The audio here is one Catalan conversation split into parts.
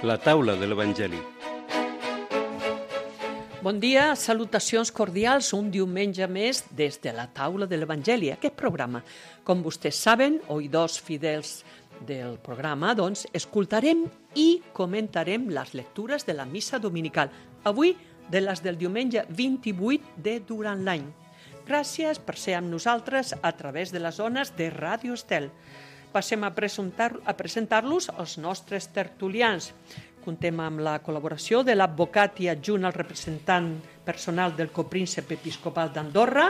La taula de l'Evangeli. Bon dia, salutacions cordials, un diumenge més des de la taula de l'Evangeli. Aquest programa, com vostès saben, oïdors fidels del programa, doncs, escoltarem i comentarem les lectures de la missa dominical. Avui, de les del diumenge 28 de durant l'any. Gràcies per ser amb nosaltres a través de les ones de Ràdio Estel. Passem a presentar-los els nostres tertulians. Contem amb la col·laboració de l'advocat i adjunt al representant personal del copríncep episcopal d'Andorra,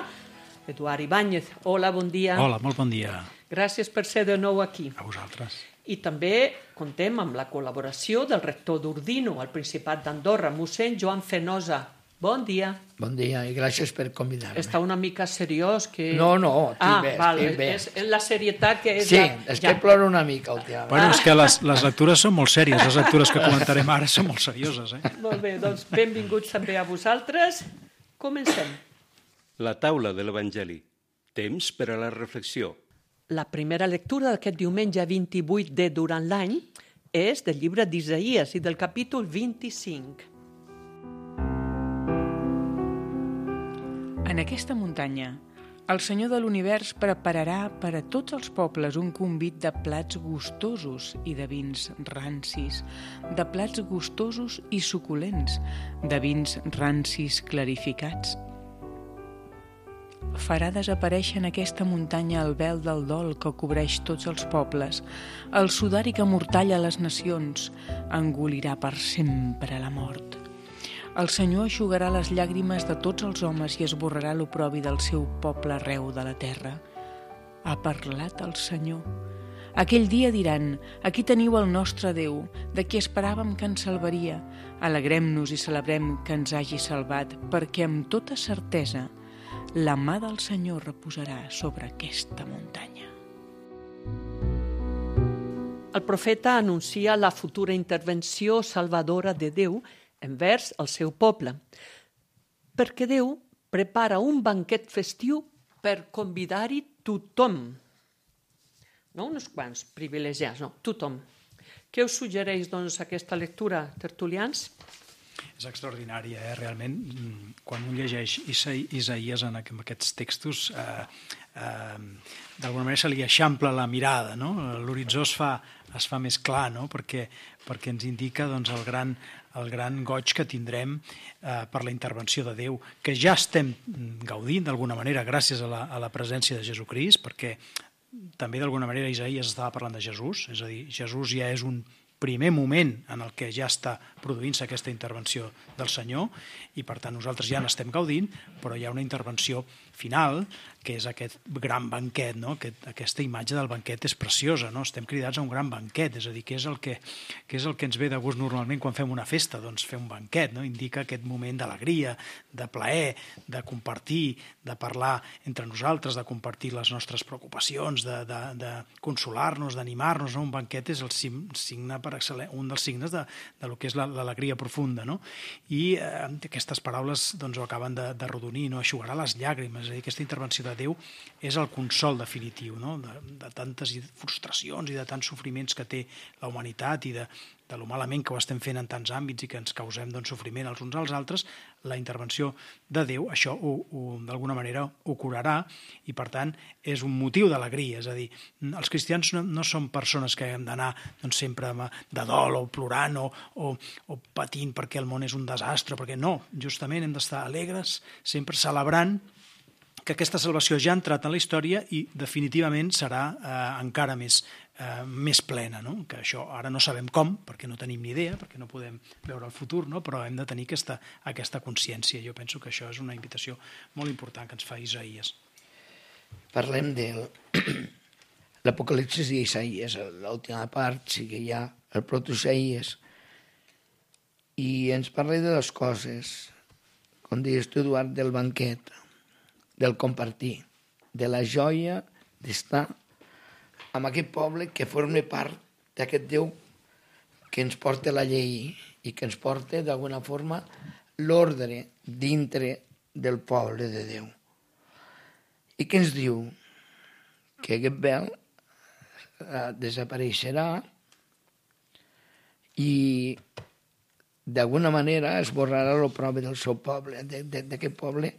Eduard Ibáñez. Hola, bon dia. Hola, molt bon dia. Gràcies per ser de nou aquí. A vosaltres. I també contem amb la col·laboració del rector d'Ordino, al Principat d'Andorra, mossèn Joan Fenosa. Bon dia. Bon dia i gràcies per convidar-me. Està una mica seriós que... No, estic bé. És la serietat que és... Sí, és que ploro una mica últimament. Bueno, és que les lectures són molt sèries, les lectures que comentarem ara són molt serioses, Molt bé, doncs benvinguts també a vosaltres. Comencem. La taula de l'Evangeli. Temps per a la reflexió. La primera lectura d'aquest diumenge 28 de durant l'any és del llibre d'Isaïes i del capítol 25. En aquesta muntanya, el Senyor de l'Univers prepararà per a tots els pobles un convit de plats gustosos i de vins rancis, de plats gustosos i suculents, de vins rancis clarificats. Farà desaparèixer en aquesta muntanya el vel del dol que cobreix tots els pobles, el sudari que mortalla les nacions, engolirà per sempre la mort. El Senyor eixugarà les llàgrimes de tots els homes i esborrarà l'oprobi del seu poble arreu de la terra. Ha parlat el Senyor. Aquell dia diran: aquí teniu el nostre Déu, de qui esperàvem que ens salvaria. Alegrem-nos i celebrem que ens hagi salvat, perquè amb tota certesa la mà del Senyor reposarà sobre aquesta muntanya. El profeta anuncia la futura intervenció salvadora de Déu envers el seu poble, perquè Déu prepara un banquet festiu per convidar-hi tothom. No uns quants privilegiats, no, tothom. Què us suggereix, doncs, aquesta lectura, tertulians? És extraordinària, realment. Quan un llegeix Isaïes en aquests textos, d'alguna manera se li eixampla la mirada, no? L'horitzó es fa més clar, no? perquè ens indica doncs, el gran goig que tindrem per la intervenció de Déu, que ja estem gaudint d'alguna manera gràcies a la presència de Jesucrist, perquè també d'alguna manera Isaïes estava parlant de Jesús, és a dir, Jesús ja és un primer moment en el que ja està produint-se aquesta intervenció del Senyor i per tant nosaltres ja n'estem gaudint, però hi ha una intervenció final que és aquest gran banquet, no? Aquesta imatge del banquet és preciosa, no? Estem cridats a un gran banquet, és a dir, què és el que ens ve de gust normalment quan fem una festa? Doncs fer un banquet, no? Indica aquest moment d'alegria, de plaer, de compartir, de parlar entre nosaltres, de compartir les nostres preocupacions, de consolar-nos, d'animar-nos, no? Un banquet és el signe per excel·lent, un dels signes de lo que és l'alegria profunda, no? I aquestes paraules doncs, ho acaben de rodonir, no? Eixugarà les llàgrimes, és a dir, aquesta intervenció de Déu és el consol definitiu, no? de tantes frustracions i de tants sofriments que té la humanitat i de lo malament que ho estem fent en tants àmbits i que ens causem doncs, sofriment els uns als altres, la intervenció de Déu, això d'alguna manera ho curarà i per tant és un motiu d'alegria, és a dir, els cristians no són persones que hem d'anar doncs, sempre de dol o plorant o patint perquè el món és un desastre, perquè no, justament hem d'estar alegres, sempre celebrant que aquesta salvació ja ha entrat en la història i definitivament serà encara més plena, no? Que això ara no sabem com, perquè no tenim ni idea, perquè no podem veure el futur, no? Però hem de tenir aquesta consciència. Jo penso que això és una invitació molt important que ens fa Isaïes. Parlem de l'Apocalipsis d'Isaïes, l'última part, sí que hi ha el proto-Isaïes, i ens parla de dues coses, com dius tu, Eduard, del banquet, del compartir, de la joia d'estar amb aquest poble que forma part d'aquest Déu que ens porta la llei i que ens porta d'alguna forma l'ordre dintre del poble de Déu. I què ens diu? Que aquest vel desapareixerà i d'alguna manera esborrarà la prova del seu poble, d'aquest poble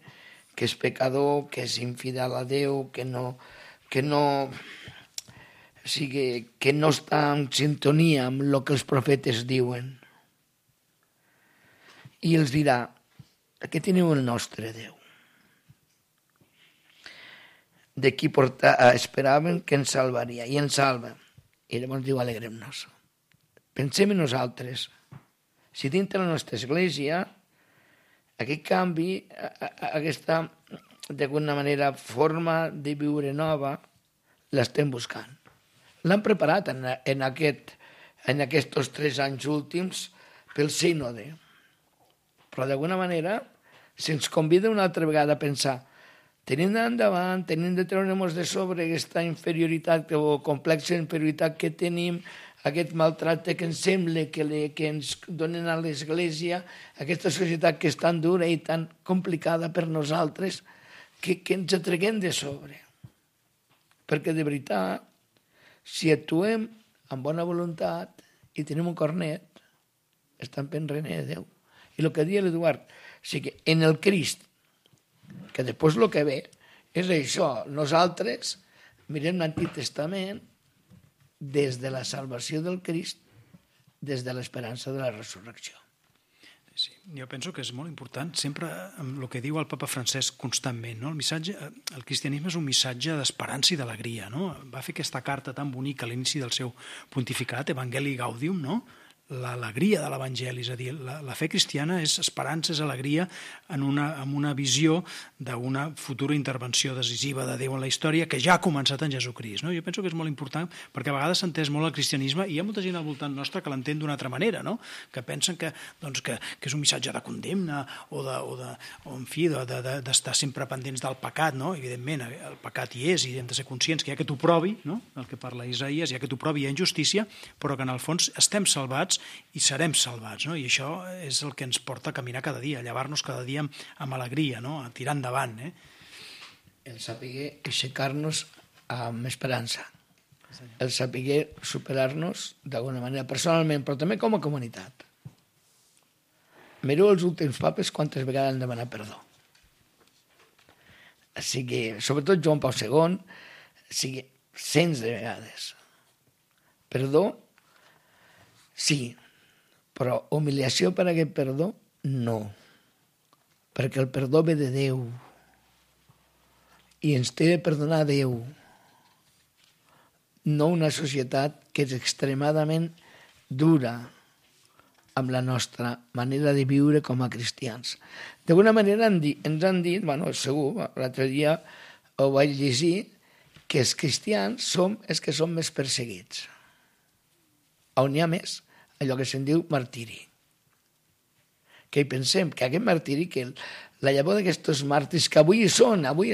que és pecador, que és infidel a Déu, que no està en sintonia amb el que els profetes diuen. I els dirà, aquí teniu el nostre Déu. De qui esperaven que ens salvaria, i ens salva. I llavors diu, alegrem-nos. Pensem en nosaltres. Si dintre la nostra església, aquest canvi, aquesta, d'alguna manera, forma de viure nova, l'estem buscant. L'han preparat en aquests 3 anys últims pel sínode. Però d'alguna manera se'ns convida una altra vegada a pensar, tenim d'endavant, tenim de treure'ns de sobre aquesta inferioritat o complexa inferioritat que tenim, aquest maltracte que ens sembla que ens donen a l'Església, aquesta societat que és tan dura i tan complicada per nosaltres, que ens atreguem de sobre. Perquè de veritat, si actuem amb bona voluntat i tenim un cor net, estem pensant en Déu. I el que deia l'Eduard, o sigui, en el Crist, que després el que ve és això, nosaltres mirem l'Antic Testament des de la salvació del Crist, des de l'esperança de la resurrecció. Sí, jo penso que és molt important, sempre amb el que diu el papa Francesc constantment, no? El cristianisme és un missatge d'esperança i d'alegria, no? Va fer aquesta carta tan bonica a l'inici del seu pontificat, Evangelii Gaudium, no? L'alegria de l'Evangeli, és a dir, la fe cristiana és esperança, és alegria amb una visió d'una futura intervenció decisiva de Déu en la història que ja ha començat en Jesucrist. No? Jo penso que és molt important perquè a vegades s'ha entès molt el cristianisme i hi ha molta gent al voltant nostre que l'entén d'una altra manera, no? Que pensen que és un missatge de condemna o d'estar sempre pendents del pecat, no? Evidentment, el pecat hi és i hem de ser conscients que hi ha que t'ho provi, no? El que parla Isaïes, hi ha que t'ho provi, hi ha injustícia, però que en el fons estem salvats i serem salvats, no? I això és el que ens porta a caminar cada dia, a llevar-nos cada dia amb alegria, no? A tirar endavant. El saber aixecar-nos amb esperança, el saber superar-nos d'alguna manera personalment, però també com a comunitat. Mireu els últims papes quantes vegades han demanat perdó. O sigui, sobretot Joan Pau II, cents de vegades. Perdó, sí, però humiliació per aquest perdó, no. Perquè el perdó ve de Déu i ens té de perdonar Déu, no una societat que és extremadament dura amb la nostra manera de viure com a cristians. D'alguna manera ens han dit, segur, l'altre dia ho vaig llegir, que els cristians som els que som més perseguits. On hi ha més, allò que se'n diu martiri. Que hi pensem que aquest martiri, que la llavor d'aquests màrtirs que avui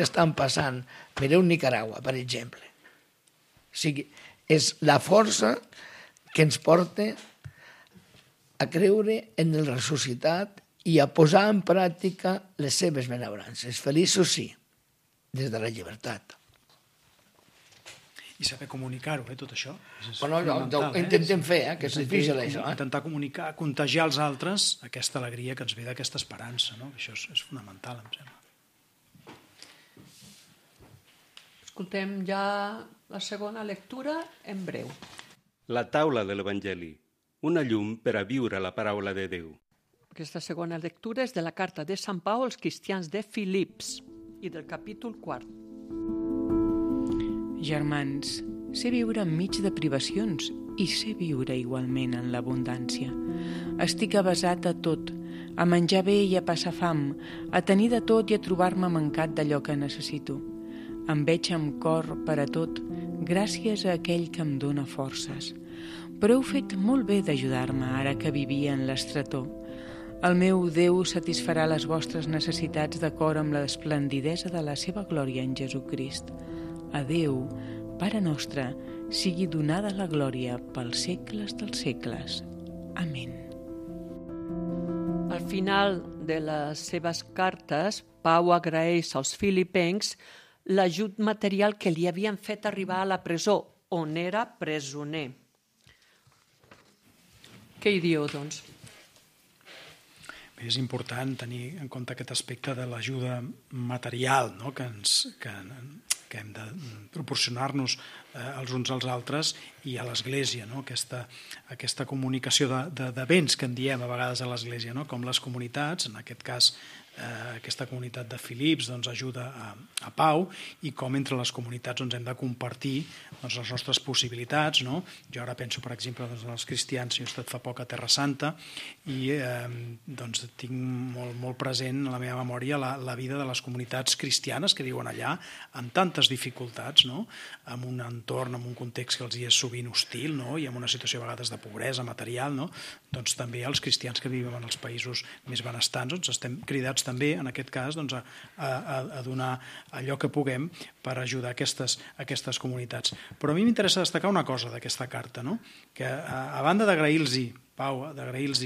estan passant, mireu Nicaragua, per exemple. O sigui, és la força que ens porta a creure en el ressuscitat i a posar en pràctica les seves benaurances. Feliços sí, des de la llibertat. I saber comunicar-ho, tot això. Intentem fer, que és difícil, això. Intentar comunicar, contagiar als altres aquesta alegria que ens ve d'aquesta esperança, no? Això és fonamental, em sembla. Escoltem ja la segona lectura en breu. La taula de l'Evangeli, una llum per a viure la paraula de Déu. Aquesta segona lectura és de la carta de Sant Pau als cristians de Filips i del capítol 4. Germans, sé viure enmig de privacions i sé viure igualment en l'abundància. Estic avesat a tot, a menjar bé i a passar fam, a tenir de tot i a trobar-me mancat d'allò que necessito. Em veig amb cor per a tot, gràcies a aquell que em dóna forces. Però heu fet molt bé d'ajudar-me ara que vivia en l'estretor. El meu Déu satisfarà les vostres necessitats d'acord amb l'esplendidesa de la seva glòria en Jesucrist. A Déu, Pare nostre, sigui donada la glòria pels segles dels segles. Amén. Al final de les seves cartes, Pau agraeix als filipencs l'ajut material que li havien fet arribar a la presó, on era presoner. Què hi diu, doncs? És important tenir en compte aquest aspecte de l'ajuda material, no? que hem de proporcionar-nos els uns als altres i a l'Església, no? Aquesta comunicació de béns que en diem a vegades a l'Església, no? Com les comunitats, en aquest cas aquesta comunitat de Filips doncs, ajuda a Pau, i com entre les comunitats doncs, hem de compartir doncs, les nostres possibilitats, no? Jo ara penso, per exemple, doncs, en els cristians. Jo he estat fa poc a Terra Santa i doncs, tinc molt present en la meva memòria la vida de les comunitats cristianes que viuen allà amb tantes dificultats, no? En un entorn, en un context que els hi és sovint hostil, no? I en una situació a vegades de pobresa material, no? Doncs també els cristians que vivim en els països més benestants doncs, estem cridats també, en aquest cas, doncs, a donar allò que puguem per ajudar aquestes comunitats. Però a mi m'interessa destacar una cosa d'aquesta carta, no? Que a banda d'agrair-los, Pau, d'agrair-los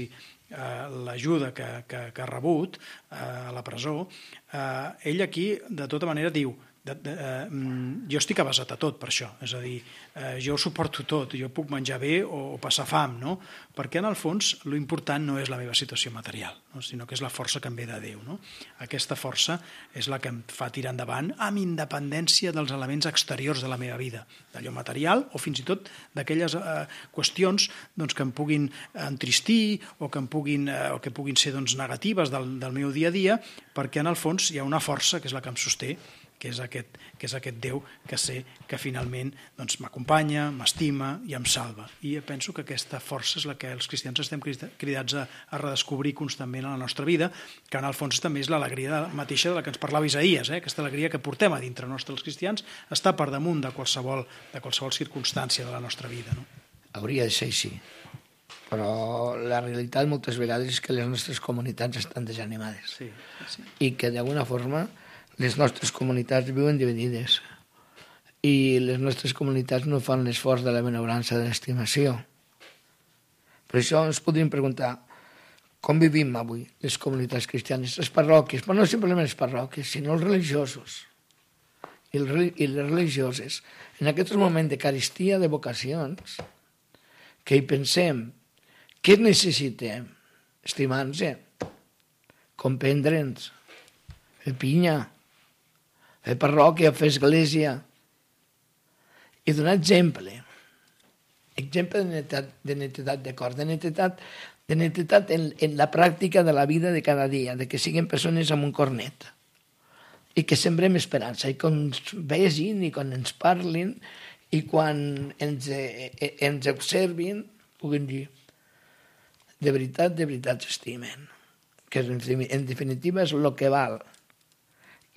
l'ajuda que ha rebut a la presó, ell aquí, de tota manera, diu jo estic avesat a tot per això, és a dir, jo ho suporto tot, jo puc menjar bé o passar fam, no? Perquè en el fons l'important no és la meva situació material, no? Sinó que és la força que em ve de Déu, no? Aquesta força és la que em fa tirar endavant amb independència dels elements exteriors de la meva vida, d'allò material o fins i tot d'aquelles qüestions doncs, que em puguin entristir o que puguin ser doncs, negatives del meu dia a dia, perquè en el fons hi ha una força que és la que em sosté, que és aquest Déu que sé que finalment doncs, m'acompanya, m'estima i em salva. I penso que aquesta força és la que els cristians estem cridats a redescobrir constantment a la nostra vida, que en el fons també és l'alegria mateixa de la que ens parlava Isaïes, aquesta alegria que portem a dintre nostre els cristians està per damunt de qualsevol circumstància de la nostra vida. No? Hauria de ser així, però la realitat moltes vegades és que les nostres comunitats estan desanimades i que d'alguna forma les nostres comunitats viuen dividides i les nostres comunitats no fan l'esforç de la benaurança, de l'estimació. Per això ens podríem preguntar com vivim avui les comunitats cristianes, les parròquies, però no simplement les parròquies, sinó els religiosos i les religioses. En aquest moment de carestia de vocacions, que hi pensem, què necessitem? Estimar-nos, comprendre'ns, fer pinya, fer parròquia, fer església i donar exemple de netedat de cor, de netedat en la pràctica de la vida de cada dia, de que siguin persones amb un cor net i que sembrem esperança i quan ens vegin i quan ens parlin i quan ens observin puguin dir de veritat s'estimen, que en definitiva és el que val.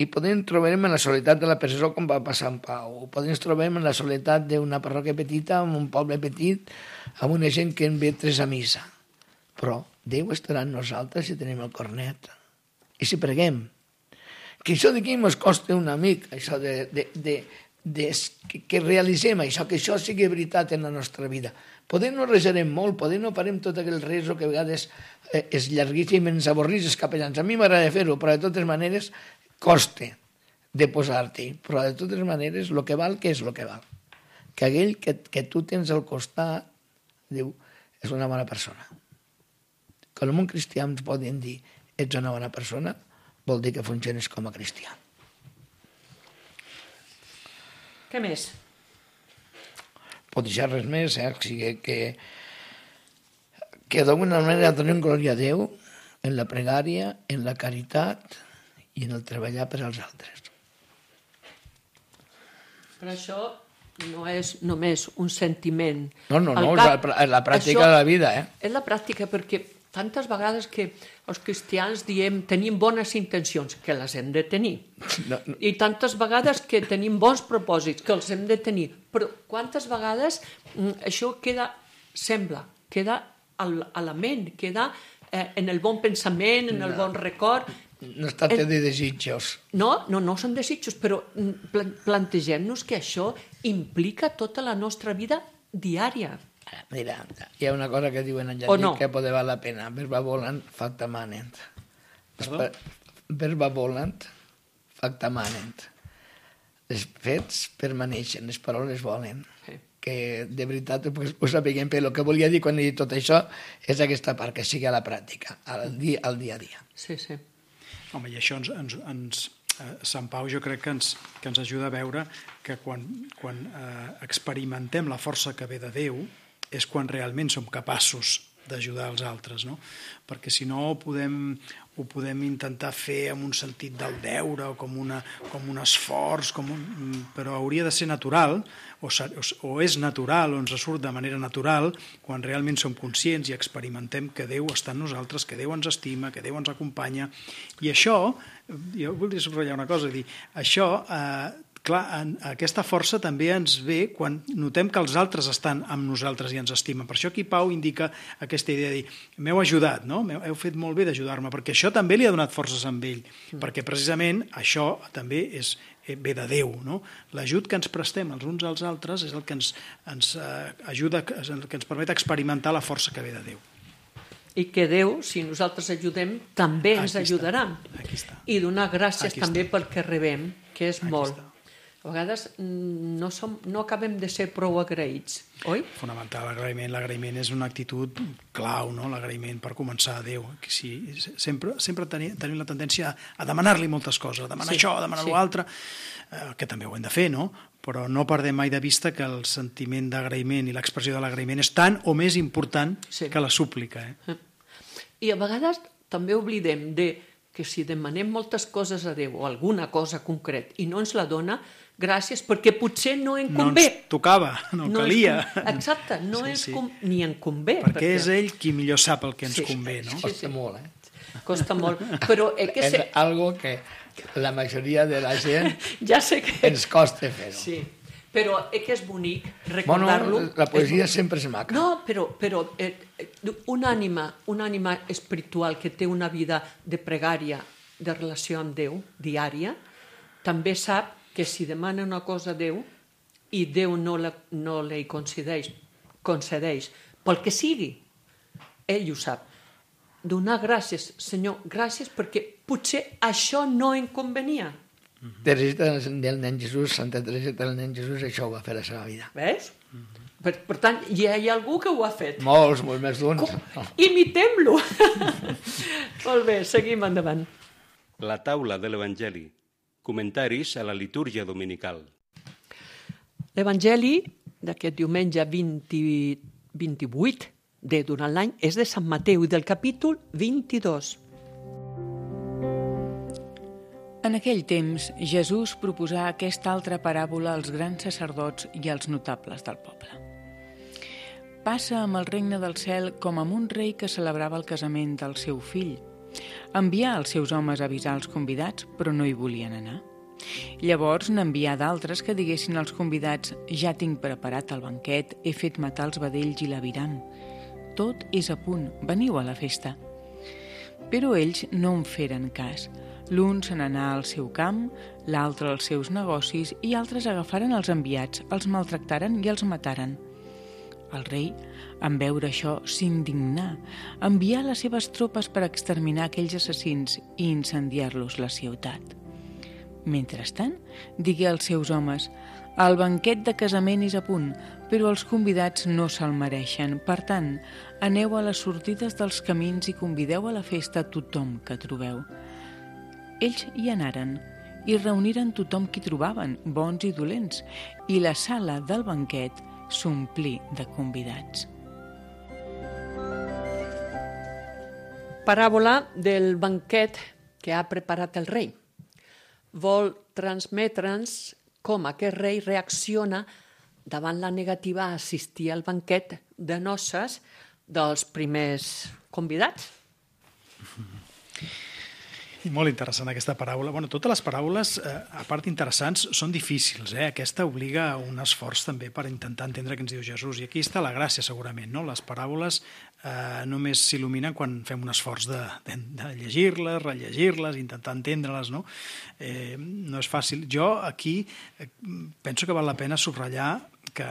I podem trobar-nos en la soledat de la presó com va passar en Pau, podem trobar-nos en la soledat d'una parròquia petita, en un poble petit, amb una gent que en ve tres a missa. Però Déu estarà amb nosaltres si tenim el cor net. I si preguem. Que això d'aquí ens costa una mica, això que realitzem això, que això sigui veritat en la nostra vida. Podem no reserem molt, podem no farem tot aquell reso que a vegades és llarguíssim i ens avorrís els capellans. A mi m'agrada fer-ho, però de totes maneres costa de posar-t'hi, però de totes maneres el que val, què és el que val? Que aquell que tu tens al costat diu, és una bona persona. Quan en un cristià ens poden dir ets una bona persona, vol dir que funciones com a cristià. Què més? Pot deixar res més, o sigui que d'alguna manera donem glòria a Déu en la pregària, en la caritat i en el treballar per als altres. Però això no és només un sentiment. No, és la pràctica de la vida. És la pràctica, perquè tantes vegades que els cristians diem tenim bones intencions, que les hem de tenir. I tantes vegades que tenim bons propòsits, que els hem de tenir. Però quantes vegades això queda a la ment, queda en el bon pensament, en el bon record. No es tracta de desitjos. No són desitjos, però plantegem-nos que això implica tota la nostra vida diària. Mira, hi ha una cosa que diuen en llatí que pot valer la pena. Verba volant, facta manent. Verba volant, facta manent. Els fets permaneixen, les paraules volen. que de veritat ho sapiguem, però el que volia dir quan he dit tot això és aquesta part, que sigui a la pràctica, al dia a dia. Sí, sí. Home, i això Sant Pau jo crec que ens ajuda a veure que quan experimentem la força que ve de Déu és quan realment som capaços d'ajudar els altres, no? Perquè si no ho podem intentar fer amb un sentit del deure o com un esforç, però hauria de ser natural, o és natural, o ens surt de manera natural, quan realment som conscients i experimentem que Déu està en nosaltres, que Déu ens estima, que Déu ens acompanya. I això, jo voldria subratllar una cosa, dir, això... Clar, aquesta força també ens ve quan notem que els altres estan amb nosaltres i ens estimen. Per això aquí Pau indica aquesta idea de dir, m'heu ajudat, no? Heu fet molt bé d'ajudar-me, perquè això també li ha donat forces a ell, perquè precisament això també ve de Déu, no? L'ajut que ens prestem els uns als altres és el que ens ajuda, el que ens permet experimentar la força que ve de Déu. I que Déu, si nosaltres ajudem, també ens ajudarà. Aquí està. I donar gràcies també pel que rebem, que és molt. A vegades no acabem de ser prou agraïts, oi? Fonamental, l'agraïment és una actitud clau, no? L'agraïment per començar a Déu. Sempre tenim la tendència a demanar-li moltes coses, a demanar això, a demanar l'altre, que també ho hem de fer, no? Però no perdem mai de vista que el sentiment d'agraïment i l'expressió de l'agraïment és tan o més important que la súplica. I a vegades també oblidem que si demanem moltes coses a Déu o alguna cosa concret i no ens la dona, gràcies, perquè potser no en convé. No ens tocava, no calia. Exacte, ni en convé. Perquè és ell qui millor sap el que ens convé, no? Costa molt, Costa molt, però... És algo que la majoria de la gent ens costa fer-ho. Sí, però que és bonic recordar-lo. Bueno, la poesia sempre és maca. No, però una ànima espiritual que té una vida de pregària, de relació amb Déu, diària, també sap que si demana una cosa a Déu i Déu no li concedeix pel que sigui, ell ho sap. Donar gràcies, Senyor, gràcies perquè potser això no em convenia. Teresita del nen Jesús, Santa Teresita del nen Jesús, això ho va fer a la seva vida. Ves? Per tant, hi ha algú que ho ha fet. Molts més d'uns. Imitem-lo! Molt bé, seguim endavant. La taula de l'Evangeli. Comentaris a la litúrgia dominical. L'Evangeli d'aquest diumenge 28 durant l'any és de Sant Mateu i del capítol 22. En aquell temps, Jesús proposà aquesta altra paràbola als grans sacerdots i als notables del poble. Passa amb el regne del cel com amb un rei que celebrava el casament del seu fill. Envià els seus homes a avisar els convidats, però no hi volien anar. Llavors n'envià d'altres que diguessin als convidats: «Ja tinc preparat el banquet, he fet matar els vedells i l'aviram. Tot és a punt, veniu a la festa». Però ells no en feren cas. L'un se n'anà al seu camp, l'altre als seus negocis i altres agafaren els enviats, els maltractaren i els mataren. El rei, en veure això, s'indignà, envià les seves tropes per exterminar aquells assassins i incendiar-los la ciutat. Mentrestant, digué als seus homes: «El banquet de casament és a punt, però els convidats no se'l mereixen. Per tant, aneu a les sortides dels camins i convideu a la festa tothom que trobeu». Ells hi anaren i reuniren tothom qui trobaven, bons i dolents, i la sala del banquet s'omplí de convidats. Paràbola del banquet que ha preparat el rei. Vol transmetre'ns com aquest rei reacciona davant la negativa a assistir al banquet de noces dels primers convidats. Molt interessant aquesta paràbola. Bueno, totes les paràboles, a part interessants, són difícils. Aquesta obliga a un esforç també per intentar entendre què ens diu Jesús. I aquí està la gràcia, segurament, no? Les paràboles només s'il·luminen quan fem un esforç de llegir-les, rellegir-les, intentar entendre-les, no? No és fàcil. Jo aquí penso que val la pena subratllar que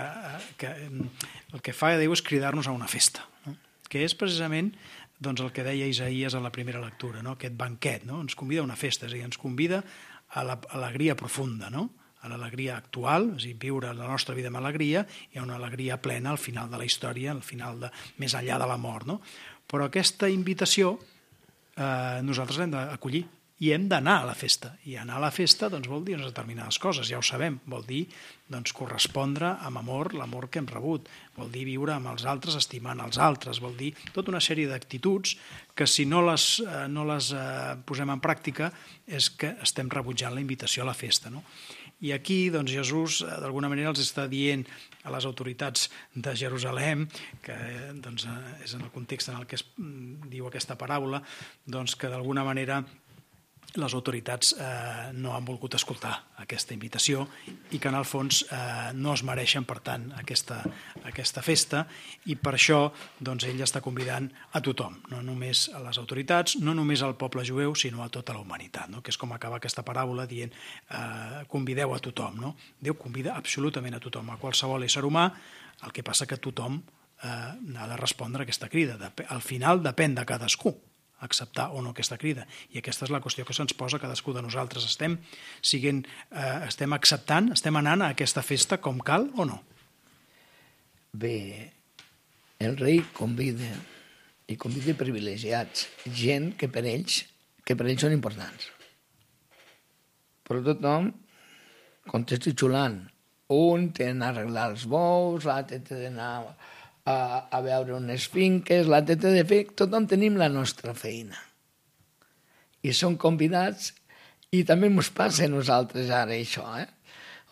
el que fa Déu és cridar-nos a una festa, no? Que és precisament doncs el que deia Isaías a la primera lectura, no? Aquest banquet, no? Ens convida a una festa, és a dir, ens convida a l'alegria profunda, no? a l'alegria actual, és a dir, viure la nostra vida amb alegria, i una alegria plena al final de la història, al final més enllà de la mort, no? Però aquesta invitació nosaltres l'hem d'acollir i hem d'anar a la festa. I anar a la festa vol dir unes determinades coses, ja ho sabem. Vol dir correspondre amb amor l'amor que hem rebut. Vol dir viure amb els altres estimant els altres. Vol dir tota una sèrie d'actituds que si no les posem en pràctica és que estem rebutjant la invitació a la festa, no? I aquí Jesús d'alguna manera els està dient a les autoritats de Jerusalem, que és en el context en el que es diu aquesta paràbola, que d'alguna manera les autoritats no han volgut escoltar aquesta invitació i que en el fons no es mereixen, per tant, aquesta festa, i per això ell està convidant a tothom, no només a les autoritats, no només al poble jueu, sinó a tota la humanitat, no? Que és com acaba aquesta paràbola dient convideu a tothom, no? Déu convida absolutament a tothom, a qualsevol ésser humà, el que passa que tothom ha de respondre a aquesta crida. Al final depèn de cadascú acceptar o no aquesta crida. I aquesta és la qüestió que se'ns posa cadascú de nosaltres. Estem acceptant, estem anant a aquesta festa com cal o no? Bé, el rei convida, i convida privilegiats, gent que per ells són importants. Però tothom contesta xulant. Un té d'anar a arreglar els bous, l'altre té d'anar a veure unes finques, l'altre té de fer... Tothom tenim la nostra feina. I són convidats, i també ens passa a nosaltres ara això,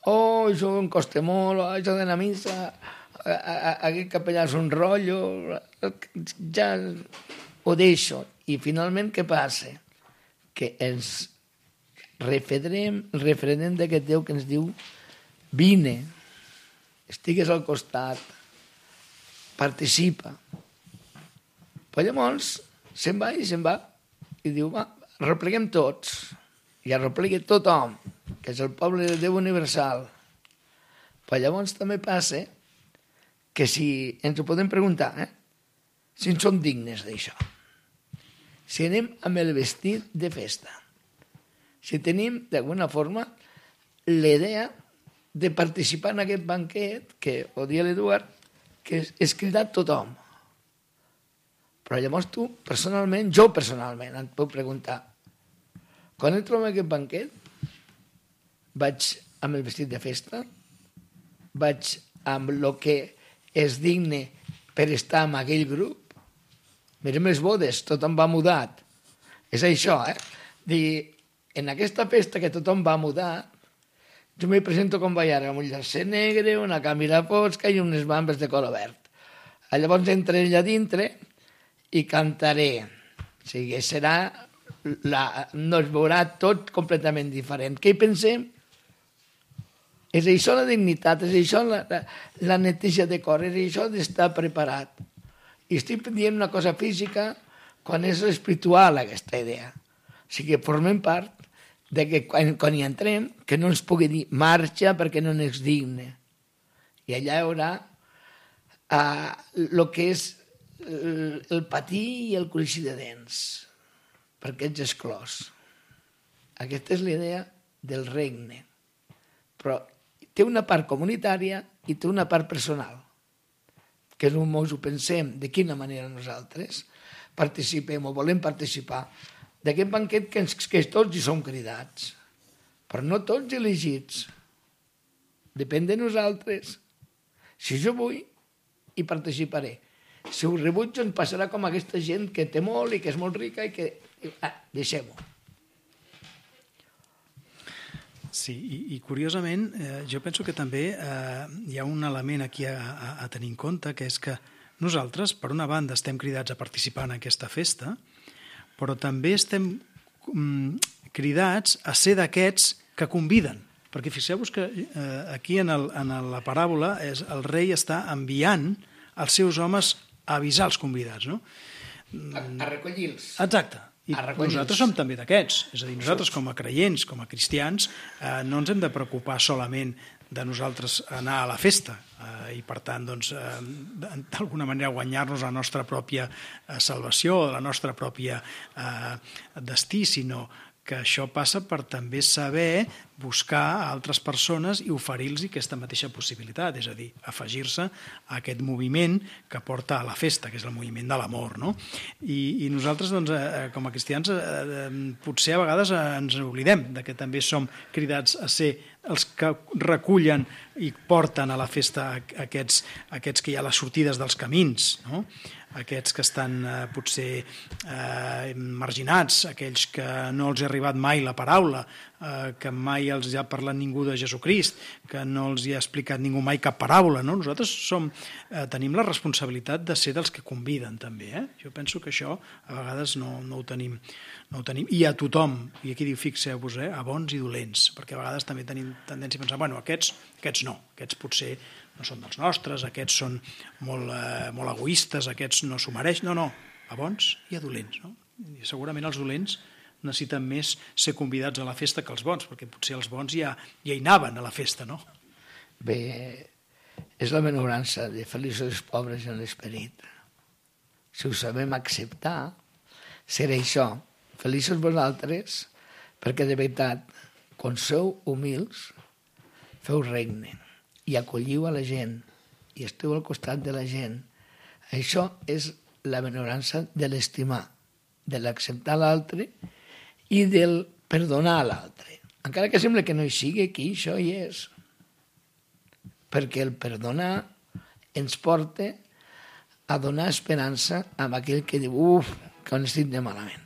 Oh, això em costa molt, això d'anar a missa, aquest capellà és un rotllo, ja ho deixo. I finalment què passa? Que ens refredem d'aquest Déu que ens diu vine, estigues al costat, participa. Però llavors se'n va i diu, va, repleguem tots. I arreplega tothom, que és el poble de Déu universal. Però llavors també passa que si ens ho podem preguntar, si en som dignes d'això. Si anem amb el vestit de festa. Si tenim, d'alguna forma, l'idea de participar en aquest banquet, que ho dia l'Eduard, que és cridar tothom. Però llavors tu, personalment, jo personalment, et puc preguntar, quan entro en aquest banquet, vaig amb el vestit de festa? Vaig amb el que és digne per estar en aquell grup? Mirem les bodes, tothom va mudat. És això, Dir, en aquesta festa que tothom va mudat, jo me presento com vaig ara, amb un jersei negre, una camisa fosca i unes bambes de color verd. Llavors entraré allà dintre i cantaré. O sigui, no es veurà tot completament diferent. Què hi pensem? És això la dignitat, és això la neteja de cor, és això d'estar preparat. I estic dient una cosa física quan és espiritual, aquesta idea. O sigui, formem part de que quan hi entrem, que no ens pugui dir marxa perquè no n'és digne. I allà hi haurà el que és el patir i el cruixir de dents, perquè ets exclòs. Aquesta és l'idea del regne. Però té una part comunitària i té una part personal, que només ho pensem de quina manera nosaltres participem o volem participar d'aquest banquet que tots hi som cridats, però no tots elegits. Depèn de nosaltres. Si jo vull, hi participaré. Si ho rebutjo, ens passarà com aquesta gent que té molt i que és molt rica i que... deixem-ho. Sí, i curiosament, jo penso que també hi ha un element aquí a tenir en compte, que és que nosaltres, per una banda, estem cridats a participar en aquesta festa, però també estem cridats a ser d'aquests que conviden. Perquè fixeu-vos que aquí en la paràbola el rei està enviant els seus homes a avisar els convidats, no? A recollir-los. Exacte. I nosaltres som també d'aquests. És a dir, nosaltres com a creients, com a cristians, no ens hem de preocupar solament de nosaltres anar a la festa i, per tant, d'alguna manera guanyar-nos la nostra pròpia salvació, la nostra pròpia destí, sinó que això passa per també saber buscar altres persones i oferir-los aquesta mateixa possibilitat, és a dir, afegir-se a aquest moviment que porta a la festa, que és el moviment de l'amor, no? I nosaltres, doncs, com a cristians, potser a vegades ens oblidem de que també som cridats a ser els que recullen i porten a la festa aquests que hi ha a les sortides dels camins, no? Aquests que estan potser marginats, aquells que no els ha arribat mai la paraula, que mai els ha parlat ningú de Jesucrist, que no els hi ha explicat ningú mai cap paràbola, no? Nosaltres tenim la responsabilitat de ser dels que conviden també, eh? Jo penso que això a vegades no ho tenim. I a tothom, i aquí diu, fixeu-vos, a bons i dolents, perquè a vegades també tenim tendència a pensar, bueno, aquests no, aquests potser no són dels nostres, aquests són molt egoistes, aquests no s'ho mereixen. No, a bons i a dolents, no? I segurament els dolents necessiten més ser convidats a la festa que els bons, perquè potser els bons ja hi anaven a la festa, no? Bé, és la benaurança de feliços els pobres en l'esperit. Si ho sabem acceptar, serà això. Feliços vosaltres, perquè de veritat, quan sou humils, feu regne i acolliu a la gent i esteu al costat de la gent. Això és la benaurança de l'estimar, de l'acceptar l'altre i del perdonar a l'altre. Encara que sembla que no hi sigui, aquí això hi és. Perquè el perdonar ens porta a donar esperança a aquell que diu que ho estic de malament.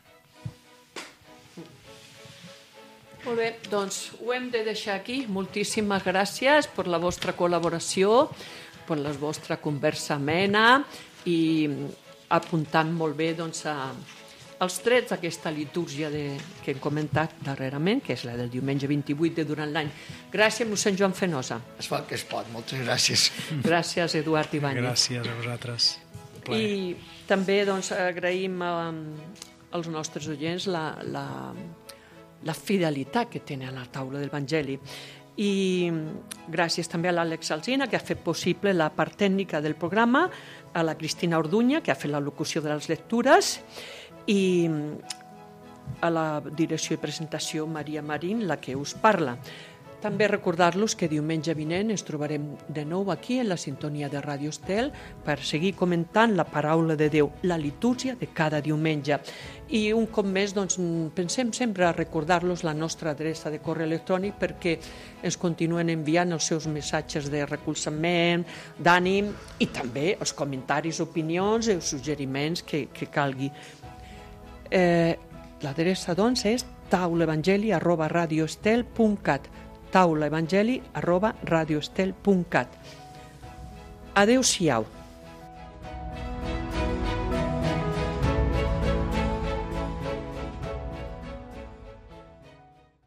Molt bé, doncs ho hem de deixar aquí. Moltíssimes gràcies per la vostra col·laboració, per la vostra conversa amena i apuntant molt bé doncs, els trets d'aquesta litúrgia que hem comentat darrerament, que és la del diumenge 28 de durant l'any. Gràcies, mossèn Joan Fenosa. Es fa el que es pot, moltes gràcies. Gràcies, Eduard Ibáñez. Gràcies a vosaltres. I també doncs, agraïm als nostres oients la fidelitat que tenen a la taula de l'Evangeli. I gràcies també a l'Àlex Alsina, que ha fet possible la part tècnica del programa, a la Cristina Orduña, que ha fet la locució de les lectures, i a la direcció i presentació Maria Marín, la que us parla. També recordar-los que diumenge vinent ens trobarem de nou aquí en la sintonia de Ràdio Estel per seguir comentant la paraula de Déu, la litúrgia de cada diumenge. I un cop més doncs, pensem sempre a recordar-los la nostra adreça de correu electrònic perquè ens continuen enviant els seus missatges de recolzament, d'ànim i també els comentaris, opinions i suggeriments que calgui. L'adreça doncs és taulaevangeli@radioestel.cat taulaevangeli@radioestel.cat. Adéu-siau.